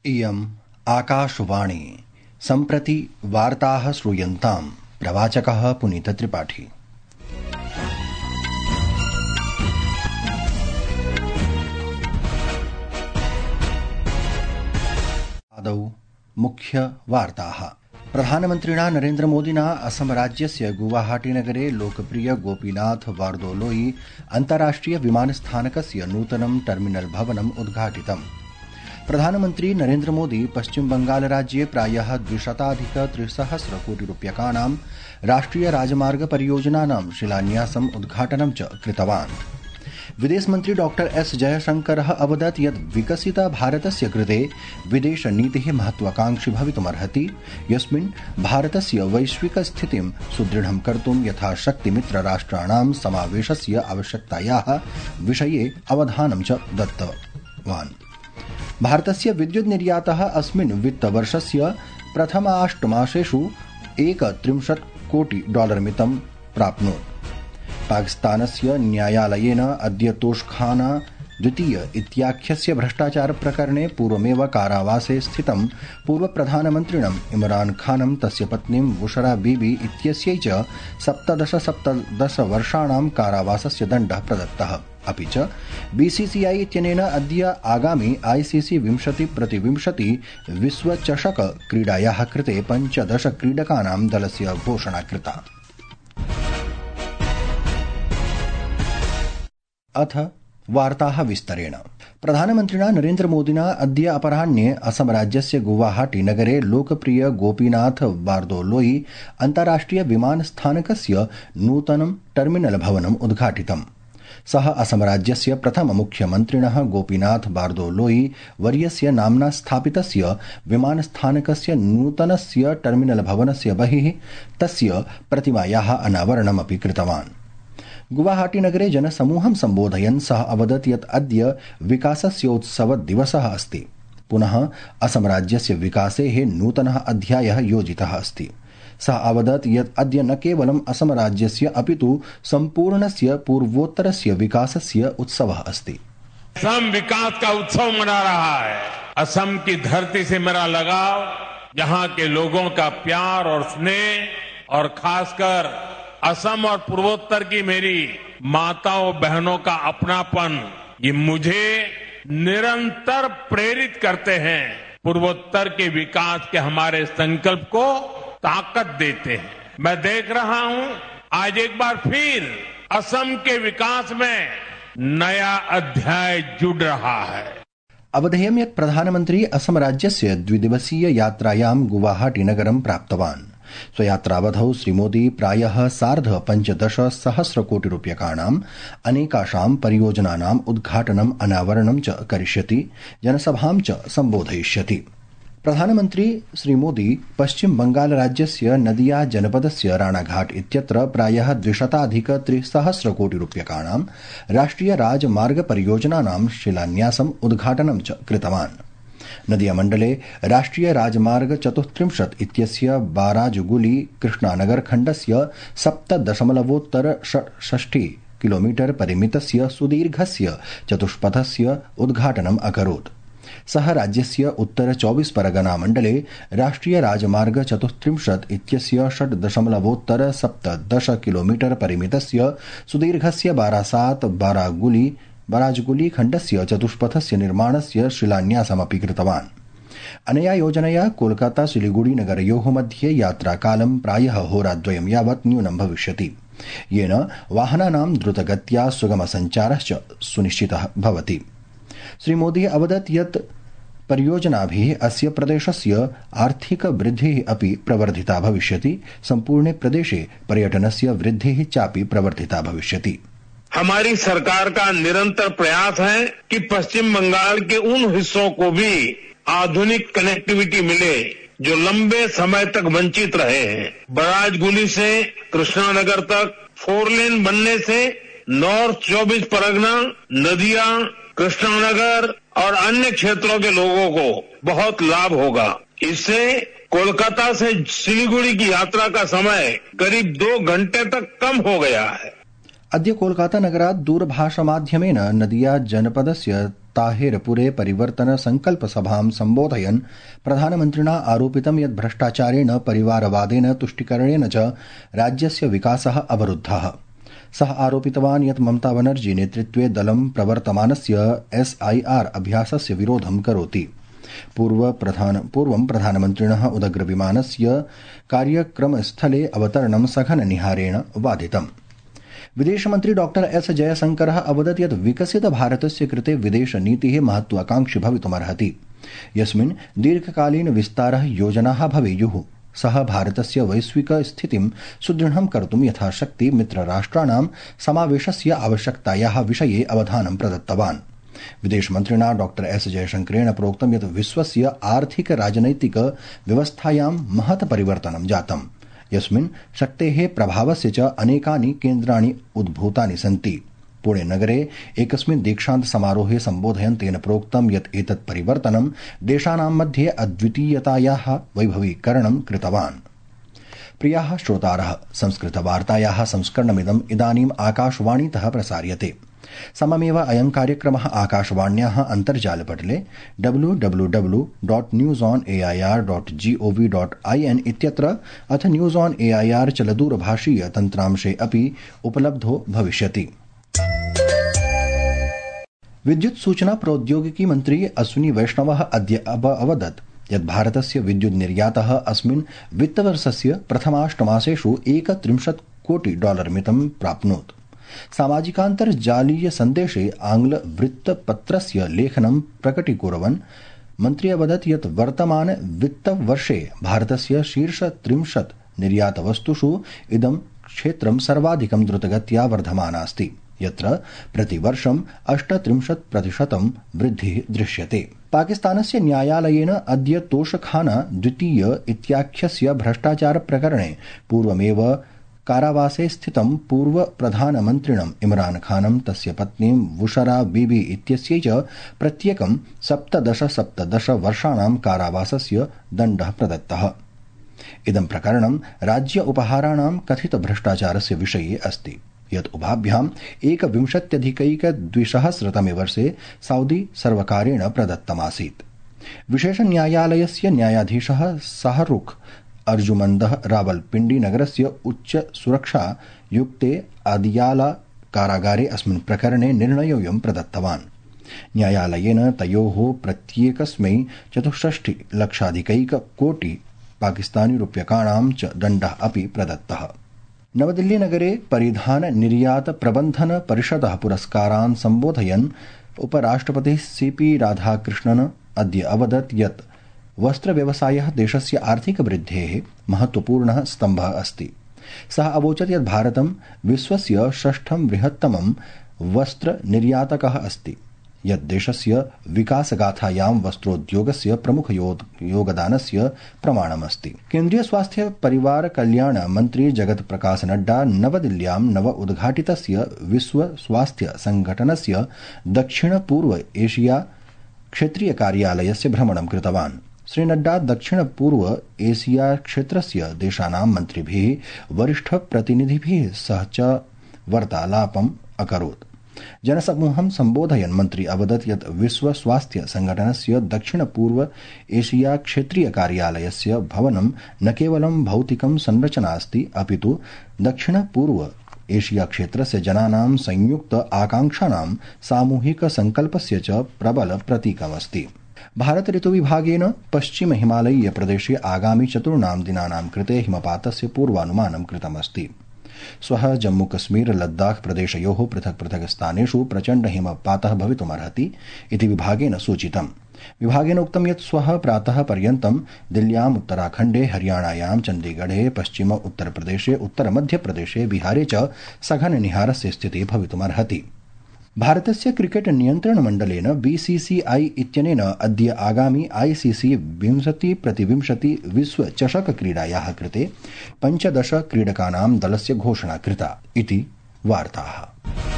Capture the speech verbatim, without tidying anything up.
इयम् आकाशवाणी। सम्प्रति वार्ताः श्रूयन्ताम्। प्रवाचकः पुनीतत्रिपाठी। आदौ मुख्य वार्ताः। प्रधानमन्त्रिणा नरेन्द्रमोदिना असम राज्यस्य गुवाहाटीनगरे लोकप्रिय गोपीनाथ बारदोलोई अन्ताराष्ट्रिय विमानस्थानकस्य नूतनं टर्मिनल भवनम् उद्घाटितम्। प्रधानमन्त्री नरेन्द्रमोदी पश्चिम बंगाल राज्ये प्रायः द्विशताधिक त्रिसहस्र कोटि रूप्यकाणां राष्ट्रिय राजमार्ग परियोजनानां शिलान्यासम् उद्घाटनं च कृतवान्। विदेशमन्त्री डॉक्टर एस जयशंकरः अवदत् यत् विकसित भारतस्य कृते विदेशनीतिः महत्वाकांक्षी भवितुमर्हति, यस्मिन् भारतस्य वैश्विक स्थितिं सुदृढं कर्तुं यथाशक्ति मित्रराष्ट्राणां समावेशस्य आवश्यकतायाः विषये अवधानं च दत्तवान्। भारतस्य विद्युत् निर्यातः अस्मिन् वित्तवर्षस्य प्रथमाष्टमासेषु एकत्रिंशत् कोटि डॉलर मितं प्राप्नोत्। पाकिस्तानस्य न्यायालयेन अद्य तोषखाना द्वितीय इत्याख्यस्य भ्रष्टाचार प्रकरणे पूर्वमेव कारावासे स्थितं पूर्वप्रधानमन्त्रिणम् इमरान खानं तस्य पत्नीं बुशरा बीबी इत्यस्यै च सप्तदश सप्तदश वर्षाणां कारावासस्य दण्डः प्रदत्तः। अपि च बीसीसीआई इत्यनेन अद्य आगामि आईसीसी विंशति प्रतिविंशति विश्वचषक क्रीडायाः कृते पञ्चदश क्रीडकानां दलस्य घोषणा कृता। अथ वार्ताः विस्तरेण। प्रधानमन्त्रिणा नरेन्द्रमोदिना अद्य अपराह्ने असम राज्यस्य गुवाहाटी नगरे लोकप्रिय गोपीनाथ बारदोलोई अन्ताराष्ट्रिय विमानस्थानकस्य नूतनं टर्मिनल भवनम् उद्घाटितम्। सः असम राज्यस्य प्रथम मुख्यमन्त्रिणः गोपीनाथ बारदोलोई वर्यस्य नाम्ना स्थापितस्य विमानस्थानकस्य नूतनस्य टर्मिनल भवनस्य बहिः तस्य प्रतिमायाः अनावरणमपि कृतवान्। गुवाहाटीनगरे जनसमूहं सम्बोधयन् सः अवदत् यत् अद्य विकासस्योत्सवदिवसः अस्ति। पुनः असम राज्यस्य विकासेः नूतनः अध्यायः योजितः अस्ति। सः अवदत् यत् अद्य न केवलम् असम राज्यस्य अपितु सम्पूर्णस्य पूर्वोत्तरस्य विकासस्य उत्सवः अस्ति। असम विकास का उत्सव मना रहा है। असम की धरती से मेरा लगाव, यहाँ के लोगों का प्यार और स्नेह और खासकर असम और पूर्वोत्तर की मेरी माताओं बहनों का अपनापन, ये मुझे निरंतर प्रेरित करते हैं। पूर्वोत्तर के विकास के हमारे संकल्प को ताकत देते हैं। मैं देख रहा हूं आज एक बार फिर असम के विकास में नया अध्याय जुड़ रहा है। अवधेयं यत् प्रधानमन्त्री असम राज्यस्य द्विदिवसीय यात्रायां गुवाहाटी नगरं प्राप्तवान्। स्वयात्रावधौ श्रीमोदी प्रायः सार्ध पञ्चदश सहस्र कोटि रूप्यकाणाम् अनेकाषां परियोजनानाम् उद्घाटनम् अनावरणं च करिष्यति, जनसभां च सम्बोधयिष्यति। प्रधानमन्त्री श्रीमोदी पश्चिम बंगाल राज्यस्य नदिया जनपदस्य राणाघाट इत्यत्र प्रायः द्विशताधिक त्रिसहस्र कोटि रूप्यकाणां राष्ट्रिय राजमार्ग परियोजनानां शिलान्यासम् उद्घाटनं च कृतवान्। नदिया मण्डले राष्ट्रिय राजमार्ग चतुस्त्रिंशत् इत्यस्य बाराजुगुली कृष्णानगर खण्डस्य सप्त दशमलवोत्तर षष्टि किलोमीटर परिमितस्य सुदीर्घस्य चतुष्पथस्य उद्घाटनम् अकरोत्। सः राज्यस्य उत्तर चौबीस परगना मण्डले राष्ट्रिय राजमार्ग चतुस्त्रिंशत् इत्यस्य षट् दशमलवोत्तर सप्तदश किलोमीटर परिमितस्य सुदीर्घस्य बारासात बारागुली बाराजगुली खण्डस्य चतुष्पथस्य निर्माणस्य शिलान्यासमपि कृतवान्। अनया योजनया कोलकाता सिलिगुड़ी नगरयोः मध्ये यात्राकालं प्रायः होराद्वयं यावत् न्यूनं भविष्यति, येन वाहनानां द्रुतगत्या सुगमसञ्चारश्च सुनिश्चितः भवति। श्रीमोदी अवदत् यत् परियोजनाभिः अस्य प्रदेशस्य आर्थिक वृद्धिः अपि प्रवर्धिता भविष्यति, सम्पूर्णे प्रदेशे पर्यटनस्य वृद्धिः चापि प्रवर्धिता भविष्यति। हमारी सरकार का निरंतर प्रयास है कि पश्चिम बंगाल के उन हिस्सों को भी आधुनिक कनेक्टिविटी मिले जो लंबे समय तक वंचित रहे हैं। बराजगुली से कृष्णानगर तक फोर लेन बनने से नॉर्थ चौबीस परगना, नदिया, कृष्णानगर और अन्य क्षेत्रों के लोगों को बहुत लाभ होगा। इससे कोलकाता से सिलीगुड़ी की यात्रा का समय करीब दो घंटे तक कम हो गया है। अद्य कोलकाता नगरात् दूरभाषामाध्यमेन नदिया जनपदस्य ताहिरपुरे परिवर्तन संकल्प सभां सम्बोधयन् प्रधानमन्त्रिणा आरोपितं यत् भ्रष्टाचारेण परिवारवादेन तुष्टिकरणेन च राज्यस्य विकासः अवरुद्धः। सः आरोपितवान् यत् ममता बनर्जी नेतृत्वे दलं प्रवर्तमानस्य एसआईआर अभ्यासस्य विरोधं करोति। पूर्व प्रधान पूर्वं प्रधानमन्त्रिणः उदग्रविमानस्य कार्यक्रमस्थले अवतरणं सघननिहारेण बाधितम्। विदेशमन्त्री डॉक्टर एस जयशंकरः अवदत् यत् विकसित भारतस्य कृते विदेशनीतिः महत्वाकांक्षी भवितुमर्हति, यस्मिन् दीर्घकालीन विस्तारः योजनाः भवेयुः। सः भारतस्य वैश्विक स्थितिं सुदृढं कर्तुं यथाशक्ति मित्रराष्ट्राणां समावेशस्य आवश्यकतायाः विषये अवधानं प्रदत्तवान्। विदेशमन्त्रिणा डॉक्टर एस जयशंकरेण प्रोक्तं यत् विश्वस्य आर्थिक राजनैतिक व्यवस्थायां महत् परिवर्तनं जातम्, यस्मिन् शक्तेः प्रभावस्य च अनेकानि केन्द्राणि उद्भूतानि सन्ति। पुणे नगरे एकस्मिन् दीक्षान्त समारोहे सम्बोधयन् तेन प्रोक्तं यत् एतत् परिवर्तनं देशानां मध्ये अद्वितीयतायाः वैभवीकरणं कृतवान्। प्रियाः श्रोतारः, संस्कृतवार्तायाः संस्करणमिदम् इदानीम् आकाशवाणीतः प्रसार्यते। सममेव अयं कार्यक्रमः आकाशवाण्याः अन्तर्जालपटले W W W dot news on A I R dot GOV dot I N इत्यत्र अथ news on A I R चलदूरभाषीय तन्त्रांशे अपि उपलब्धो भविष्यति। विद्युत सूचना प्रौद्योगिकी मन्त्री अश्विनी वैष्णवः अद्य अवदत् यत् भारतस्य विद्युत् निर्यातः अस्मिन् वित्तवर्षस्य प्रथमाष्टमासेषु एकत्रिंशत् कोटि डॉलर मितं प्राप्नोत्। सामाजिकान्तर्जालीय सन्देशे आंग्ल वृत्तपत्रस्य लेखनं प्रकटीकुर्वन् मन्त्री अवदत् यत् वर्तमान वित्तवर्षे भारतस्य शीर्ष त्रिंशत् निर्यातवस्तुषु इदं क्षेत्रं सर्वाधिकं द्रुतगत्या वर्धमानास्ति, यत्र प्रतिवर्षम् अष्टत्रिंशत् प्रतिशतं वृद्धिः दृश्यते। पाकिस्तानस्य न्यायालयेन अद्य तोषखाना द्वितीय इत्याख्यस्य भ्रष्टाचार प्रकरणे पूर्वमेव कारावासे स्थितं पूर्व प्रधानमन्त्रिणम् इमरान खानं तस्य पत्नीं बुशरा बीबी इत्यस्यै च प्रत्येकं सप्तदश सप्तदश वर्षाणां कारावासस्य दण्डः प्रदत्तः। इदं प्रकरणं राज्य उपहाराणां कथित भ्रष्टाचारस्य विषये अस्ति, यत् उभाभ्याम् एकविंशत्यधिकैकद्विसहस्रतमे वर्षे सौदी सर्वकारेण प्रदत्तमासीत्। विशेष न्यायालयस्य न्यायाधीशः शाहरुख अर्जुमन्दः रावलपिंडी नगरस्य उच्च सुरक्षा युक्ते आदियाला कारागारे अस्मिन् प्रकरणे निर्णयोऽयं प्रदत्तवान्। न्यायालयेन तयोः प्रत्येकस्मै चतुष्षष्टि लक्षाधिकैक कोटि पाकिस्तानी रूप्यकाणां च दण्डः अपि प्रदत्तः। नवदिल्ली नगरे परिधान निर्यात प्रबन्धन परिषदः पुरस्कारान् सम्बोधयन् उपराष्ट्रपतिः सीपी राधाकृष्णन् अद्य अवदत् यत् वस्त्रव्यवसायः देशस्य आर्थिकवृद्धेः महत्वपूर्णः स्तम्भः अस्ति। सः अवोचत् यत् भारतं विश्वस्य षष्ठं बृहत्तमं वस्त्रनिर्यातकः अस्ति, यत् देशस्य विकासगाथायां वस्त्रोद्योगस्य प्रमुख योगदानस्य प्रमाणमस्ति। केन्द्रीय स्वास्थ्य परिवार कल्याण मन्त्री जगत प्रकाश नड्डा नवदिल्ल्यां नव उद्घाटितस्य विश्व स्वास्थ्य संघटनस्य दक्षिण पूर्व एशिया क्षेत्रीय कार्यालयस्य भ्रमणं कृतवान्। श्री नड्डा दक्षिण पूर्व एशिया क्षेत्रस्य देशानां मन्त्रिभिः वरिष्ठ प्रतिनिधिभिः सह च वार्तालापम् अकरोत्। जनसमूहं सम्बोधयन् मन्त्री अवदत् यत् विश्व स्वास्थ्य संघटनस्य दक्षिण पूर्व एशिया क्षेत्रीय कार्यालयस्य भवनं न केवलं भौतिकं संरचना अस्ति, अपितु दक्षिण पूर्व एशिया क्षेत्रस्य जनानां संयुक्त आकांक्षाणां सामूहिक संकल्पस्य च प्रबल प्रतीकमस्ति। भारत ऋतुविभागेन पश्चिम हिमालयीय प्रदेशे आगामि चतुर्णां दिनानां कृते हिमपातस्य पूर्वानुमानं कृतमस्ति। श्वः जम्मू कश्मीर लद्दाख प्रदेशयोः पृथक् पृथक् स्थानेषु प्रचण्ड हिमपातः भवितुमर्हति इति विभागेन सूचितम्। विभागेन उक्तं यत् श्वः प्रातः पर्यन्तं दिल्ल्याम्, उत्तराखण्डे, हरियाणायां, चण्डीगढे, पश्चिम उत्तरप्रदेशे, उत्तरमध्यप्रदेशे, बिहारे च सघननिहारस्य स्थितिः भवितुमर्हति। भारतस्य क्रिकेट नियन्त्रण मण्डलेन बीसीसीआई इत्यनेन अद्य आगामि आईसीसी विंशति प्रतिविंशति विश्व चषक क्रीडायाः कृते पञ्चदश क्रीडकानां दलस्य घोषणा कृता इति वार्ताः।